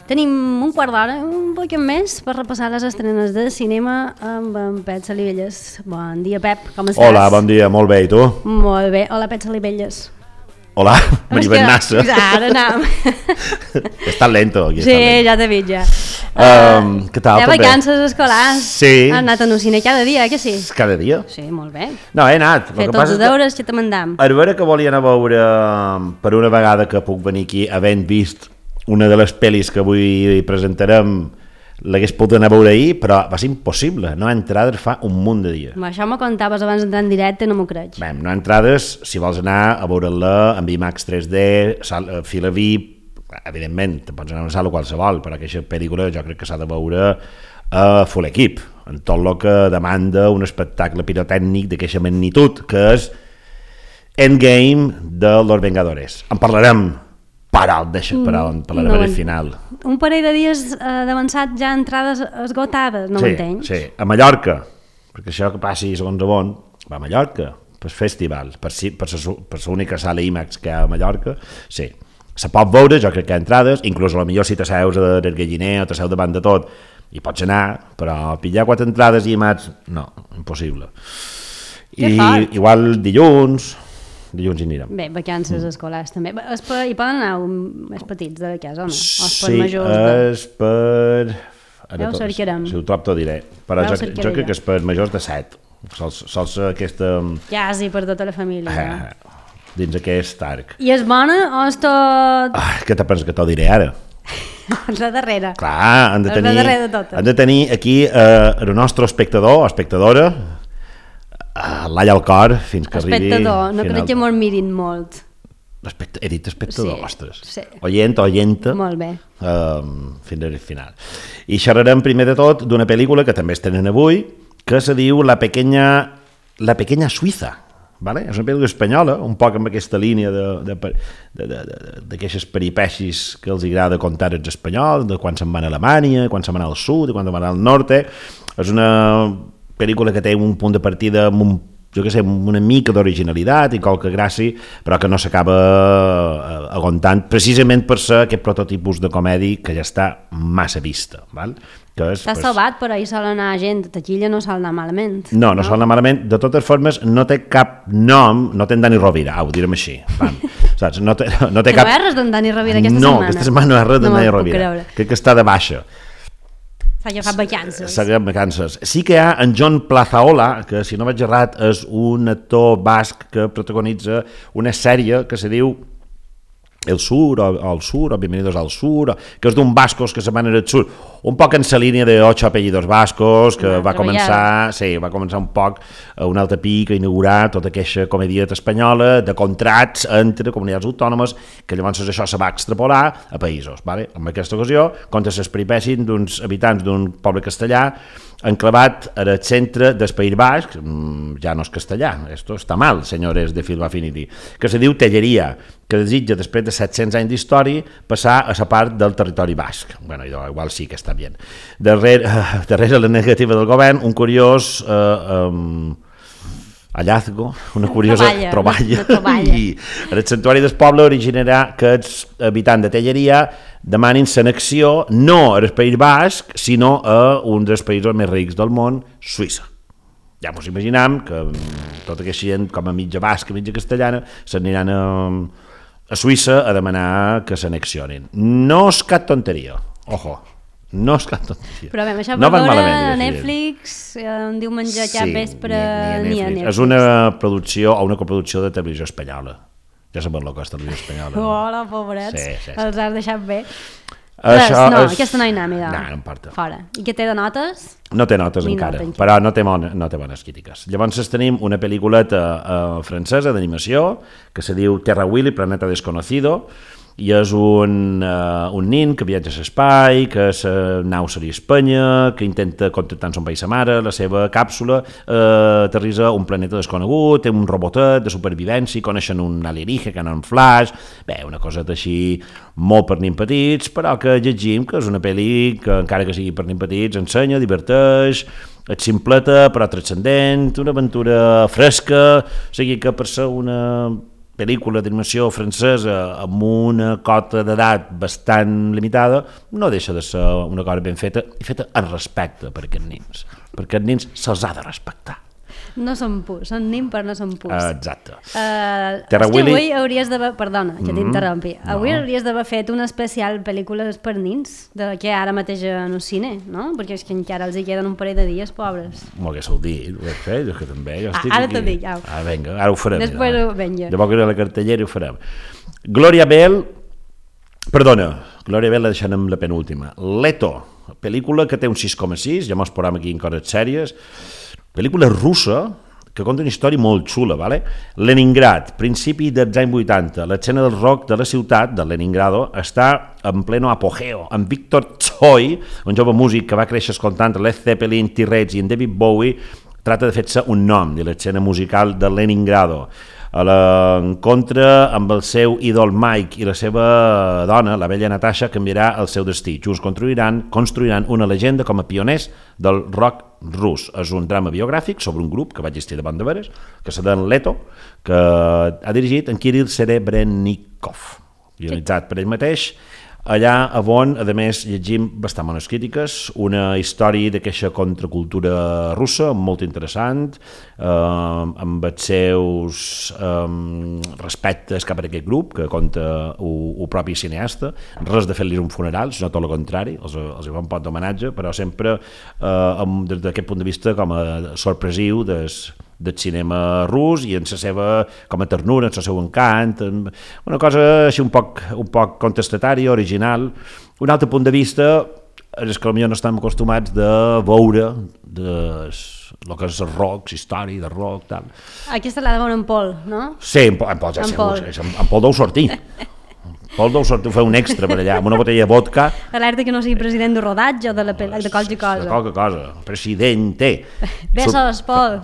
Tenim un quart d'hora, un poc més, per repassar les estrenes de cinema amb en Pep Salivelles. Bon dia, Pep, com estàs? Hola, bon dia, molt bé, i tu? Molt bé, hola, Pep Salivelles. Hola, Maria Bernassa. Ara anem. Estàs lento, aquí. Sí, ja t'he vist, ja. Què tal? Ja vacances escolars. Sí. Has anat a un cine cada dia, que sí? Cada dia? Sí, molt bé. No, he anat. Fet tots els deures que te mandam. A veure que volia anar a veure, per una vegada que puc venir aquí, havent vist una de les pel·lis que avui presentarem, l'hagués pogut anar a veure ahir, però va ser impossible. No hi ha entrades fa un munt de dies. Això m'ho contaves abans d'entrar en directe, no m'ho crec. Bé, no hi ha entrades, si vols anar a veure-la amb IMAX 3D, fila VIP, evidentment, te pots anar a una sala qualsevol, però aquesta pel·lícula jo crec que s'ha de veure a full equip, en tot el que demanda un espectacle pirotècnic d'aquesta magnitud, que és Endgame de Los Vengadores. En parlarem. Parlarem al final. Un parell de dies d'avançat ja entrades esgotades, no m'entenys? Sí, a Mallorca, perquè això que passi segons on va a Mallorca, per festival, per l'única sala IMAX que hi ha a Mallorca, sí. Se pot veure, jo crec que hi ha entrades, inclús a la millor si t'asseus del galliner o t'asseus davant de tot, hi pots anar, però pillar 4 entrades IMAX, no, impossible. I igual dilluns hi anirem. Bé, vacances escolars també. Hi poden anar més petits de la casa, o no? Sí, és per... Ja ho cercarem. Si ho trobo t'ho diré. Però jo crec que és per majors de 7. Sols aquesta... Ja, sí, per tota la família. Dins aquest arc. I és bona o és tot... Què te penses que t'ho diré ara? La darrera. Clar, han de tenir aquí el nostre espectador o espectadora l'all al cor fins que arribi... Espectador, no crec que mos mirin molt. He dit espectador, ostres. Sí. Oyenta. Molt bé. Fins al final. I xerrarem primer de tot d'una pel·lícula que també es tenen avui, que se diu La pequeña Suïssa. Vale? És una pel·lícula espanyola, un poc amb aquesta línia d'aquestes peripècies que els agrada contar els espanyols, de quan se'n van a Alemanya, quan se'n van al sud, quan se'n van al nord. És una pel·lícula que té un punt de partida amb una mica d'originalitat i qualque gràcia, però que no s'acaba aguantant, precisament per ser aquest prototipus de comèdia que ja està massa vista. T'ha salvat, però hi sol anar gent, a taquilla no sol anar malament. No sol anar malament. De totes formes, no té cap nom, no té en Dani Rovira, ho direm així. Saps? No té cap... No hi ha res d'en Dani Rovira aquesta setmana? No, aquesta setmana no hi ha res d'en Dani Rovira. Crec que està de baixa. S'ha agafat vacances. S'ha agafat vacances. Sí que hi ha en Jon Plazaola, que si no vaig errat és un actor basc que protagonitza una sèrie que se diu El Sur, o El Sur, o Bienvenidos al Sur, que és d'un bascos que se van al sur, un poc en la línia de 8 apellidos bascos, que va començar un poc un altre pic a inaugurar tota aquesta comèdia espanyola de contrats entre comunitats autònomes, que llavors això se va extrapolar a països. En aquesta ocasió, contra les peripècies d'uns habitants d'un poble castellà enclavat al centre del País Basc, ja no és castellà, esto està mal, senyores de Film Affinity, que se diu Telleria, que desitja, després de 700 anys d'història, passar a la part del territori basc. Bueno, igual sí que està bé. Darrere la negativa del govern, un curiós hallazgo, una curiosa troballa. I el santuari del poble originarà que els habitants de Telleria demanin l'annexió no al País Basc, sinó a un dels països més rics del món, Suïssa. Ja ens imaginem que tota aquesta gent, com a mitja basca, mitja castellana, s'aniran a Suïssa a demanar que s'annexionin. No és cap tonteria, ojo. No és cap tonteria. Però bé, això per veure a Netflix, un diumenge cap vespre, ni a Netflix. És una producció o una coproducció de Televisió Espanyola. Ja sabem el que és Televisió Espanyola. Hola, pobrets, els has deixat bé. No, aquesta no hi anem, no importa. Fora. I què té de notes? No té notes encara, però no té bones crítiques. Llavors tenim una pel·lículeta francesa d'animació que se diu Terra Willy, Planeta Desconocido, i és un nin que viatja a l'espai, que la nau seria Espanya, que intenta contactar amb son país sa mare, la seva càpsula aterrissa a un planeta desconegut, té un robotet de supervivència, coneixen un alienígena que en flash, bé, una cosa així molt per nins petits, però que llegim que és una pel·li que encara que sigui per nins petits ensenya, diverteix, és simpleta però transcendent, una aventura fresca, o sigui que per ser una pel·lícula d'animació francesa amb una cota d'edat bastant limitada, no deixa de ser una cosa ben feta i feta en respecte per aquests nins. Per aquests nins se'ls ha de respectar. No són purs, són nins però no són purs. Exacte. Avui hauries d'haver... Perdona, que t'interrompi. Avui hauries d'haver fet un especial pel·lícules per nins, que ara mateix en el cine, no? Perquè és que encara els hi queden un parell de dies, pobres. M'ho haguéssiu dit, ho he fet, que també. Ara t'ho dic, au. Vinga, ara ho farem. Després vinga. Llavors que era la cartellera ho farem. Gloria Bell la deixant amb la penúltima. Leto, pel·lícula que té un 6,6, ja mos posem aquí en coses sèries. Pel·lícula russa que conta una història molt xula, ¿vale? Leningrad, principi dels anys 80, l'escena del rock de la ciutat, de Leningrado, està en pleno apogeo, amb Viktor Tsoi, un jove músic que va créixer escoltant Led Zeppelin, T-Rex i en David Bowie, trata de fer-se un nom de l'escena musical de Leningrado. A l'encontre amb el seu ídol Mike i la seva dona, la vella Natasha, canviarà el seu destí. Junts construiran una llegenda com a pioners del rock rus. És un drama biogràfic sobre un grup que va existir davant de veres, que se diu Leto, que ha dirigit en Kirill Serebrennikov, guionitzat per ell mateix. Allà on, a més, llegim bastant bones crítiques, una història d'aquesta contracultura russa, molt interessant, amb els seus respectes cap a aquest grup, que conta el propi cineasta, res de fer-li un funeral, sinó tot el contrari, els hi fa un pot d'homenatge, però sempre des d'aquest punt de vista com a sorpresiu del cinema rus i en la seva com a ternura, en el seu encant, una cosa així un poc contestatària, original. Un altre punt de vista és que potser no estem acostumats de veure el que és el rock, la història del rock, tal. Aquesta l'ha de veure en Pol, no? Sí, en Pol ja segur, en Pol deu sortir. Pol deu sortir, fer un extra per allà, amb una botella de vodka. Alerta que no sigui president de rodatge o de qualque cosa. De qualque cosa, presidente. Besos, Pol.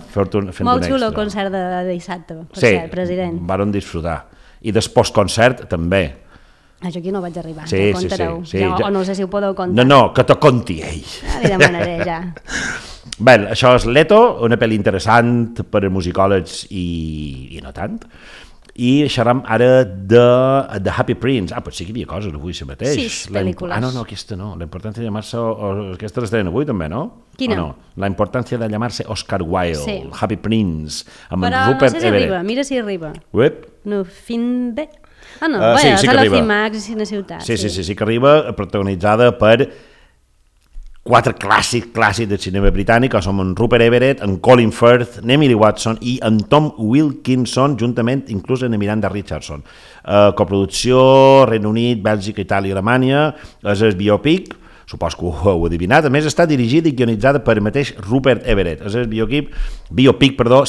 Molt xulo el concert de dissabte, per ser president. Sí, varen disfrutar. I després concert també. Això aquí no vaig arribar, sí, ho contareu. Sí, o no sé si ho podeu contar. No, que te conti ell. Li demanaré ja. Bé, això és Leto, una pel·li interessant per a musicòlegs i no tant. I xerram ara de Happy Prince. Però sí que hi havia coses avui si mateix. 6 pel·lícules. No, aquesta no. La importància de llamarse... Aquesta l'estrena avui també, no? Quina? No? La importància de llamarse Oscar Wilde, sí. Happy Prince, amb però Rupert no sé si Everett. Arriba, mira si arriba. Uep. No, fin de... no, sí és que a la arriba. CIMAX i Cine Ciutat. Sí que arriba, protagonitzada per 4 clàssics del cinema britànic, que són en Rupert Everett, en Colin Firth, en Emily Watson i en Tom Wilkinson, juntament inclús en Miranda Richardson. Coproducció, Regne Unit, Bèlgica, Itàlia i Alemanya, és el biopic, supos que ho heu adivinat, a més està dirigida i guionitzada per el mateix Rupert Everett. És el biopic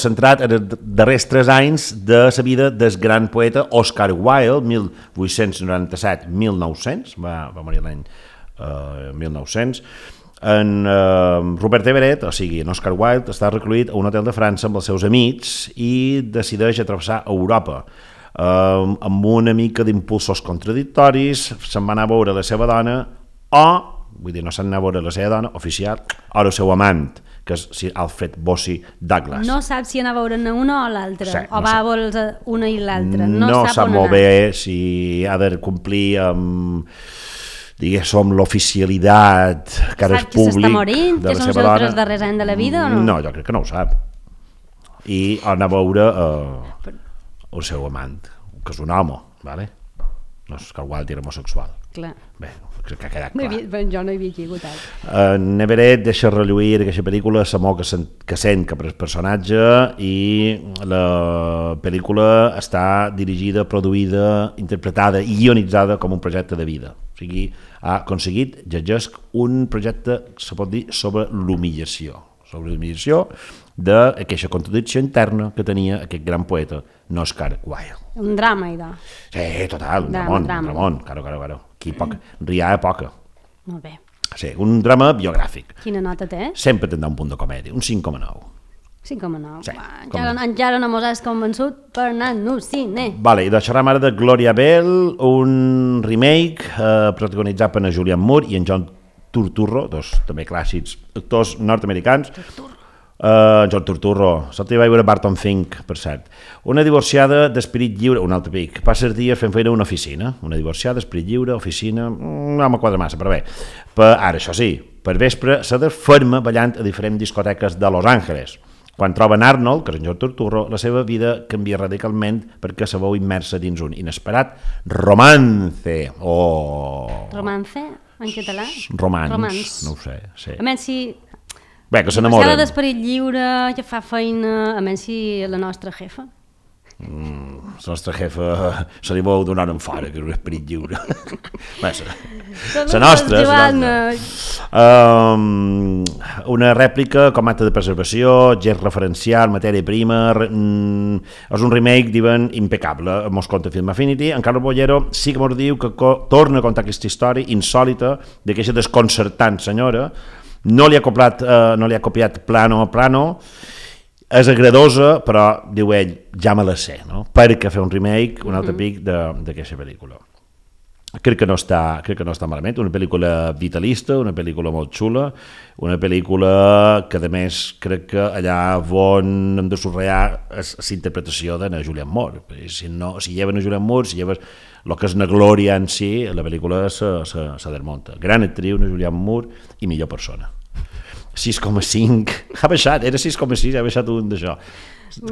centrat en els darrers 3 anys de la vida del gran poeta Oscar Wilde, 1897-1900, va morir l'any 1900. En Rupert Everett, o sigui, en Oscar Wilde, està recluït a un hotel de França amb els seus amics i decideix atravessar Europa. Amb una mica d'impulsos contradictoris, se'n va anar a veure la seva dona no se'n va a veure la seva dona oficial, o el seu amant, que és Sir Alfred Bossy Douglas. No sap si anar a veure una o l'altra, sí, o va a veure una i l'altra. No sap molt bé si ha de complir amb diguéssim, l'oficialitat que ara és públic s'està morint, de la seva dona. Que són els 3 darrers anys de la vida o no? No, jo crec que no ho sap. I anar a veure el seu amant, que és un home, ¿vale? No és que el Wilde era homosexual. Clar. Bé, crec que ha quedat clar. Jo no hi havia equivocat. Everett deixa relluir aquesta pel·lícula l'amor que sent cap al personatge i la pel·lícula està dirigida, produïda, interpretada i guionitzada com un projecte de vida. O sigui, ha aconseguit, llegesc, un projecte, se pot dir, sobre l'humillació. O sobre l'admiració d'aquesta contradicció interna que tenia aquest gran poeta, Oscar Wilde. Un drama, idò. Sí, total, un dramón, claro. Aquí riar a poca. Molt bé. Sí, un drama biogràfic. Quina nota té? Sempre tindrà un punt de comèdia, un 5,9. 5,9. Sí, encara no mos has convençut per anar-nos cine. Vale, i deixarem ara de Gloria Bell, un remake protagonitzat per Julianne Moore i en John Turturro, dos també clàssics actors nord-americans. John Turturro, se'l vaig veure Barton Fink, per cert. Una divorciada d'esperit lliure, un altre pic, passa els dies fent feina a una oficina. Una divorciada, esperit lliure, oficina, no me quadra massa, però bé. Ara, això sí, per vespre se desferma ballant a diferents discoteques de Los Angeles. Quan troben Arnold, que és en John Turturro, la seva vida canvia radicalment perquè se veu immersa dins un inesperat romance. Romance? En català? Romance. No ho sé. Sí. A menys si... Bé, que s'enamoren. Divorciada d'esperit lliure, que fa feina, a menys si la nostra jefa. La nostra jefa se li vol donar en fora, que és un esperit lliure. Bé, la nostra. Una rèplica com acte de preservació, gest referencial, matèria prima, és un remake, diuen, impecable. Mos conta Film Affinity. En Carlos Bollero sí que mos diu que torna a contar aquesta història insòlita d'aquesta desconcertant senyora. No li ha copiat plano a plano. És agradosa, però, diu ell, ja me la sé, no? Perquè fer un remake, un altre pic d'aquesta pel·lícula. Crec que no està malament, una pel·lícula vitalista, una pel·lícula molt xula, una pel·lícula que, a més, crec que allà on hem de subratllar és l'interpretació de Julianne Moore. Si lleven a Julianne Moore, si lleves el que és la glòria en si, la pel·lícula se desmunta. Gran actriu, Julianne Moore, i millor persona. 6,5, ha baixat, era 6,6, ha baixat un d'això.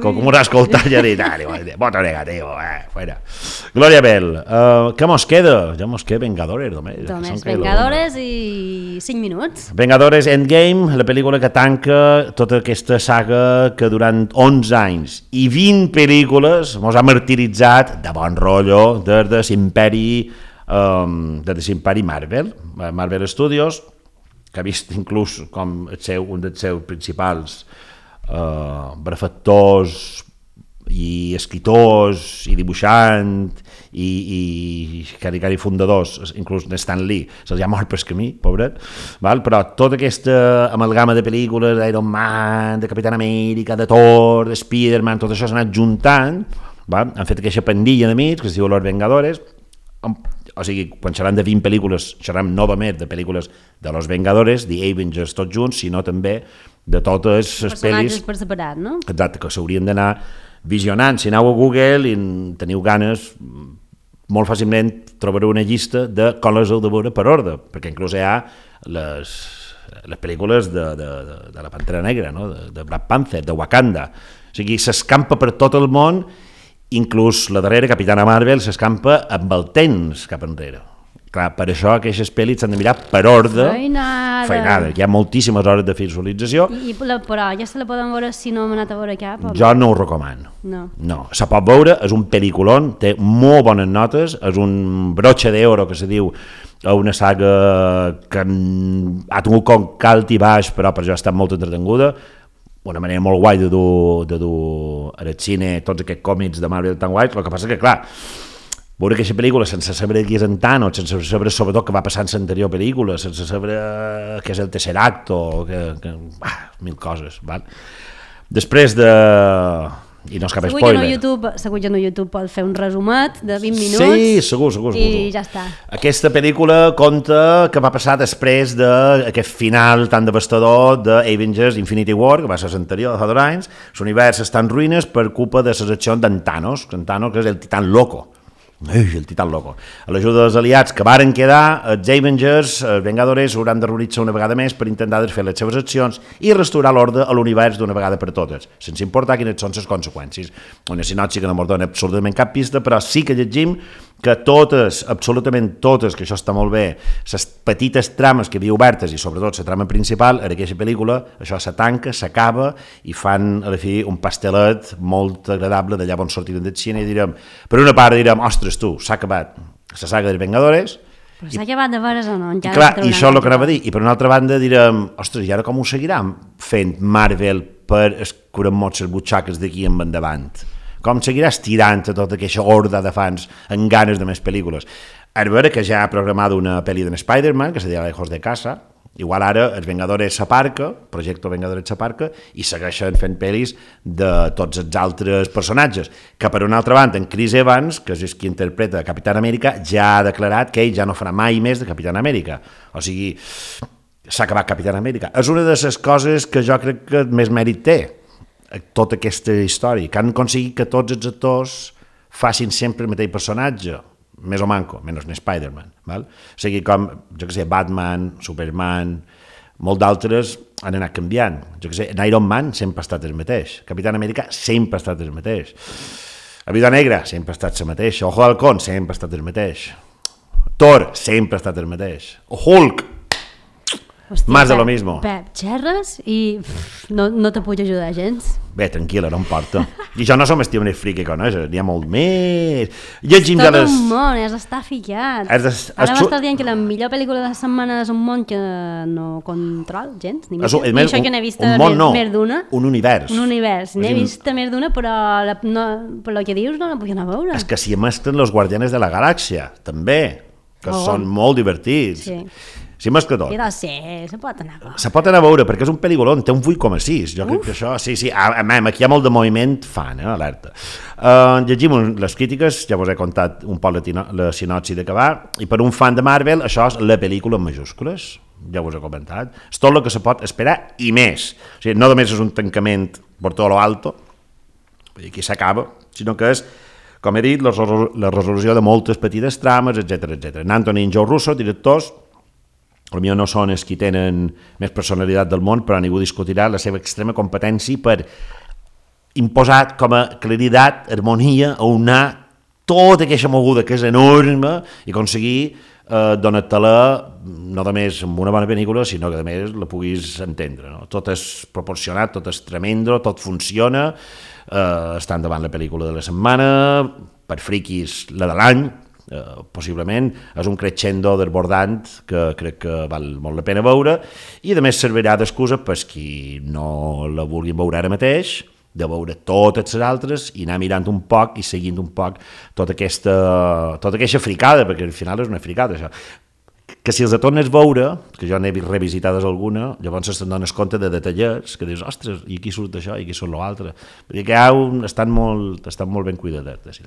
Com ho has escoltat, ja he dit, voto negativo, fuera. Gloria Bell, què mos queda? Ja mos queda Vengadores, només. Vengadores i 5 minuts. Vengadores Endgame, la pel·lícula que tanca tota aquesta saga que durant 11 anys i 20 pel·lícules mos ha martiritzat de bon rotllo des de l'imperi Marvel Studios, que ha vist inclús com un dels seus principals benefactors i escriptors i dibuixant i caricari fundadors, inclús Stan Lee, se'ls ha mort pel camí, pobret, però tota aquesta amalgama de pel·lícules d'Iron Man, de Capitán Amèrica, de Thor, de Spider-Man, tot això s'ha anat juntant, han fet aquesta pandilla d'amics que es diu Los Vengadores. O sigui, quan xerram de 20 pel·lícules, xerram novament de pel·lícules de Los Vengadores, The Avengers, tots junts, sinó també de totes les pel·lis... Personatges per separat, no? Exacte, que s'haurien d'anar visionant. Si aneu a Google i teniu ganes, molt fàcilment trobareu una llista de com les heu de veure per ordre, perquè inclús hi ha les pel·lícules de la Pantera Negra, no? De Black Panther, de Wakanda. O sigui, s'escampa per tot el món. Inclús la darrera, Capitana Marvel, s'escampa amb el temps cap enrere. Clar, per això aquestes pel·lis s'han de mirar per ordre. Feinada. Hi ha moltíssimes hores de visualització. Però ja se la poden veure si no hem anat a veure cap? Jo no ho recomano. No. Se pot veure, és un pel·lículon, té molt bones notes, és un broche d'oro, que se diu, a una saga que ha tingut com calt i baix, però per això ha estat molt entretenguda. Una manera molt guai de dur al cine tots aquests còmics de Marvel tan guais. El que passa que, clar, veure aquesta pel·lícula sense saber qui és en Thanos, sense saber sobretot què va passar en l'anterior pel·lícula, sense saber què és el tercer acte, mil coses. Després de... I no és cap spoiler. Segur que no YouTube pot fer un resumet de 20 minuts. Sí, segur. I ja està. Aquesta pel·lícula conta què va passar després d'aquest final tan devastador d'Avengers Infinity War, que va ser l'anterior de fa 2 anys. L'univers està en ruïnes per culpa de les accions d'en Thanos, que és el titán loco. El titán loco. A l'ajuda dels aliats que varen quedar, els Avengers, els Vengadores, hauran de reunir-se una vegada més per intentar desfer les seves accions i restaurar l'ordre a l'univers d'una vegada per totes, sense importar quines són les conseqüències. Una sinopsi que no ens dona absolutament cap pista, però sí que llegim que totes, absolutament totes, que això està molt bé, les petites trames que hi havia obertes i sobretot la trama principal, en aquesta pel·lícula, això se tanca, s'acaba i fan, a la fi, un pastelet molt agradable d'allà on sortirem del cine i direm, per una part direm, ostres tu, s'ha acabat la saga dels Vengadores Però s'ha acabat de veres o no? I clar, i això és el que anava a dir. I per una altra banda direm, ostres, i ara com ho seguiran fent Marvel per escurar-nos les butxaques d'aquí en endavant? Com seguirà estirant a tota aquesta horda de fans amb ganes de més pel·lícules? A veure que ja ha programat una pel·li d'en Spider-Man, que se dirà Lejos de Casa. Igual ara els Vengadores s'aparca, Projecto Vengadores s'aparca, i segueixen fent pel·lis de tots els altres personatges. Que per una altra banda, en Chris Evans, que és qui interpreta Capitán Amèrica, ja ha declarat que ell ja no farà mai més de Capitán Amèrica. O sigui, s'ha acabat Capitán Amèrica. És una de les coses que jo crec que més mèrit té, tota aquesta història, que han aconseguit que tots els actors facin sempre el mateix personatge, més o manco, menys Spider-Man. Val? O sigui, com, jo què sé, Batman, Superman, molt d'altres han anat canviant. Jo què sé, Iron Man sempre ha estat el mateix. Capitán Amèrica sempre ha estat el mateix. La Viuda Negra sempre ha estat el mateix. Ojo de Halcón sempre ha estat el mateix. Thor sempre ha estat el mateix. Hulk, hòstia, más de lo mismo. Pep, xerres i no te puc ajudar gens. Bé, tranquil·la, no em porta. I jo no som estiu més friqui que coneixes, n'hi ha molt més. Llegim tot un món, has d'estar ficat. Ara m'estàs dient que la millor pel·lícula de la setmana és un món que no control gens, ni això que n'he vist més d'una. Un univers. Un univers, n'he vist més d'una, però per el que dius no la puc anar a veure. És que s'hi mesclen los Guardianes de la Galàxia, també, que són molt divertits. Sí. Sí, més que tot. Se pot anar a veure. Se pot anar a veure, perquè és un pel·lículon, té un 8,6. Jo crec que això, sí, aquí hi ha molt de moviment fan, alerta. Llegim les crítiques, ja us he contat un poc la sinopsi de què va, i per un fan de Marvel, això és la pel·lícula en majúscules, ja us he comentat. És tot el que se pot esperar i més. O sigui, no només és un tancament per tot lo alto, aquí s'acaba, sinó que és, com he dit, la resolució de moltes petites trames, etc. Anthony i Joe Russo, directors, potser no són els qui tenen més personalitat del món, però ningú discutirà la seva extrema competència per imposar com a claritat, harmonia, aunar tota aquesta moguda que és enorme i aconseguir donar-te-la no només amb una bona pel·lícula, sinó que a més la puguis entendre. No? Tot és proporcionat, tot és tremendo, tot funciona, està endavant la pel·lícula de la setmana, per friquis la de l'any, possiblement és un crescendo desbordant que crec que val molt la pena veure i a més servirà d'excusa per qui no la vulguin veure ara mateix, de veure totes les altres i anar mirant un poc i seguint un poc tota aquesta fricada, perquè al final és una fricada això, que si els tornes a veure, que jo n'he revisitades alguna, llavors te'n dones compte de detallets que dius, ostres, i aquí surt això i aquí surt l'altre, perquè estan molt ben cuidadets.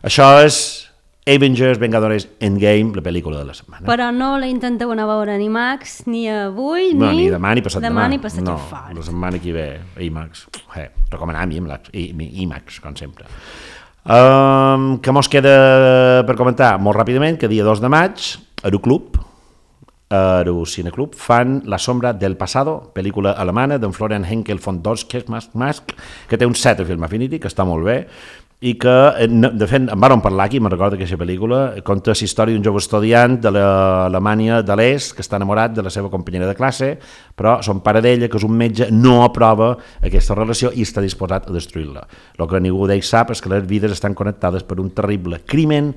Això és Avengers Vengadores Endgame, la pel·lícula de la setmana. Però no la intenteu anar a veure ni Max, ni avui, ni demà, ni passat demà. Ni passat no, la setmana que ve, IMAX. Recomanar IMAX, com sempre. Què mos queda per comentar? Molt ràpidament, que dia 2 de maig, Cineclub fan La sombra del pasado, pel·lícula alemana d'en Florian Henkel von Dorschmask, que té un 7 a Film Affinity, que està molt bé, i que, de fet, en vàrem parlar aquí, me'n recordo aquesta pel·lícula, conta la història d'un jove estudiant de l'Alemanya de l'Est que està enamorat de la seva companyera de classe, però son pare d'ella, que és un metge, no aprova aquesta relació i està disposat a destruir-la. El que ningú d'ells sap és que les vides estan connectades per un terrible crimen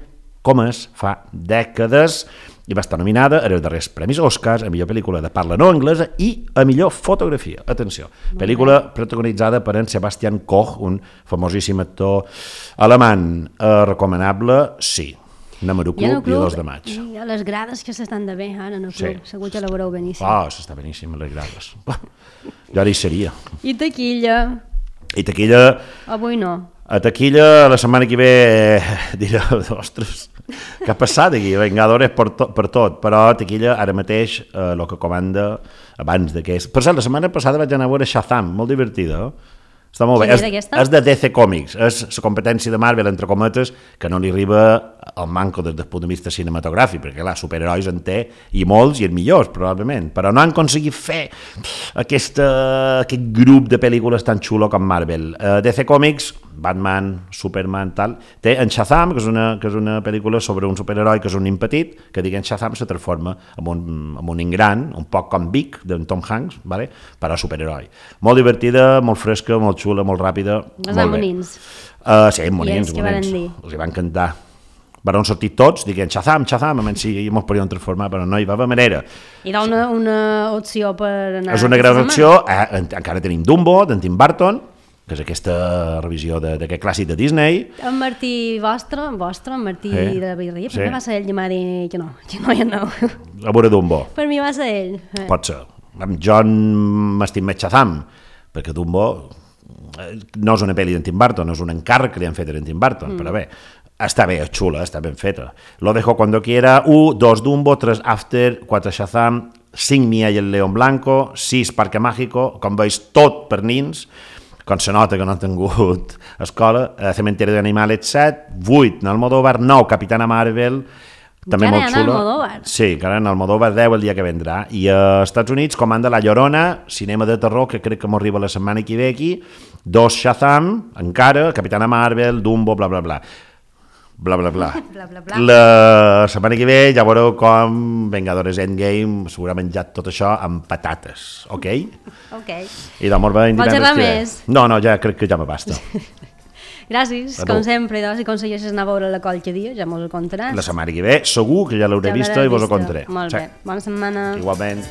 comès fa dècades i va estar nominada a els darrers premis Oscars a millor pel·lícula de parla no anglesa i a millor fotografia. Atenció, pel·lícula protagonitzada per en Sebastian Koch, un famosíssim actor alemany. Recomanable, sí. Anem a Club, dia 2 de maig. I a les grades que s'estan de bé ara en el club, segur que la veureu beníssim. S'està beníssim a les grades. Jo ara hi seria. I taquilla? Avui no. A taquilla la setmana que ve diré, ostres, què ha passat aquí? Vengadores per tot, però a taquilla ara mateix el que comanda abans d'aquest. Per cert, la setmana passada vaig anar a veure Shazam, molt divertida, està molt bé. És de DC Comics, és la competència de Marvel, entre cometes, que no li arriba al manco des del punt de vista cinematogràfic, perquè clar, superherois en té, i molts, i els millors, probablement, però no han aconseguit fer aquest grup de pel·lícules tan xulo com Marvel. DC Comics, Batman, Superman, tal, té en Shazam, que és una pel·lícula sobre un superheroi que és un nen petit, que diguem Shazam se transforma en un nen gran, un poc com Vic, d'en Tom Hanks, vale? Però superheroi. Molt divertida, molt fresca, molt xula, molt ràpida, molt bé. Monins. Sí, monins. Els hi van cantar. Van sortir tots, dient Shazam, Shazam, a menys si ens podíem transformar, però no hi va haver manera. Hi ha una opció per anar... És una gran opció, encara tenim Dumbo, d'en Tim Burton, que és aquesta revisió d'aquest clàssic de Disney. En Martí vostre, en Martí de la Birria, per mi va ser ell que m'ha dit que no hi aneu. A veure Dumbo. Per mi va ser ell. Pot ser. Jo m'estim més Shazam, perquè Dumbo no és una pel·li d'en Tim Burton, és un encàrrec que li han fet a en Tim Burton, però bé, està bé, és xula, està ben feta. Lo dejo cuando quiera, 1, 2 Dumbo, 3 After, 4 Shazam, 5 Mia i el León Blanco, 6 Parque Mágico, com veus, tot per nins, com se nota que no han tingut escola, Cementerio d'Animals 7, 8 Almodóvar, 9 Capitana Marvel, també molt xulo. Sí, encara en Almodóvar 10 el dia que vendrà. I als Estats Units comanda La Llorona, cinema de terror, que crec que m'arriba la setmana que ve aquí, 2 Shazam, encara, Capitana Marvel, Dumbo, bla, bla, bla. Bla, bla, bla. La setmana que ve ja veureu com Vengadores Endgame s'haurà menjat tot això amb patates, ok? Ok. I d'amor va vols xerrar més? No, ja crec que ja me basta. Gràcies, com sempre, si aconsegueixes anar a veure la qualque dia, ja mos ho contaràs. La setmana que ve, segur que ja l'hauré vista i vos ho contaré. Molt bé, bona setmana. Igualment.